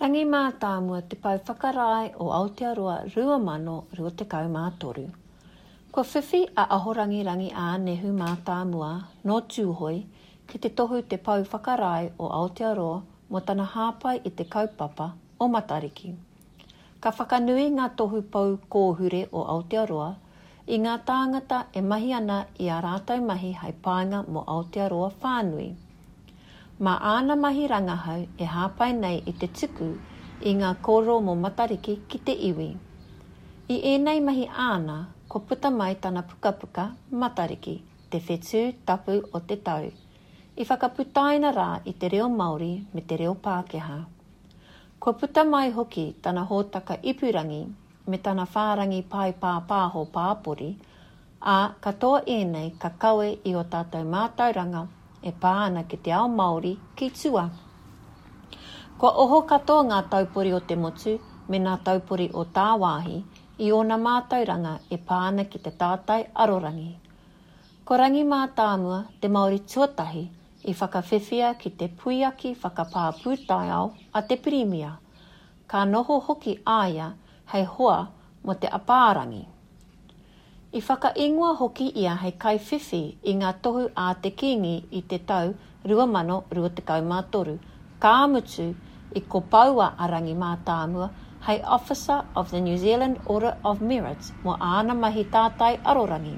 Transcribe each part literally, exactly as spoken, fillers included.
Rangi Mātāmua te pou whakarae o Aotearoa rua mano rua tekau mā toru. Kua whiwhi a Ahorangi Rangi Ā-Nehu Mātāmua nō Tūhoe ki te tohu te pou whakarae o Aotearoa mō tana hāpai i te kaupapa o Matariki. Ka whakanui ngā tohu pou kōhure o Aotearoa i ngā tāngata e mahi ana i ā rātou mahi hei painga mō Aotearoa whānui. Mā āna mahi rangahau e hāpai nei i te tuku i ngā kōrero mō Matariki ki te iwi. I ēnei mahi āna, kua puta mai tana pukapuka Matariki, te whetū tapu o te tau, i whakaputaina rā i te reo Māori me te reo Pākehā. Kua puta mai hoki tana hōtaka ipurangi me tana whārangi pae pāpāho pāpori, ā, katoa ēnei ka kawe i ō tātou mātauranga e pā ana ki te ao Māori ki tua. Kua oho katoa ngā taupori o te motu me ngā taupori o tāwāhi i ōna mātauranga e pā ana ki te tātai arorangi. Ko Rangi Mātāmua te Māori tuatahi i whakawhiwhia ki te puiaki whakapā pūtaiao a te Pirimia. Ka noho hoki a ia hei hoa mō te apārangi. I whakaingoa hoki ia hei kaiwhiwhi i ngā tohu a te Kīngi i te tau rua mano rua tekau mā toru, ka mutu i kopoua a Rangi Mātāmua hei Officer of the New Zealand Order of Merit mō āna mahi tātai arorangi.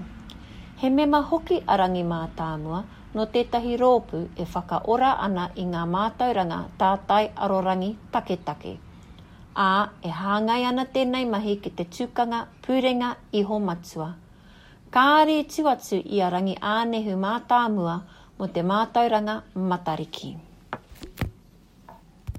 He mema hoki a Rangi Mātāmua nō tētahi rōpū e whakaora ana i ngā mātauranga tātai arorangi taketake. Ā, e hāngai ana tēnei mahi ki te tukanga pūrenga iho matua. Kāre i tū atu i a Rangi Ā-Nehu Mātāmua mō te mātauranga Matariki.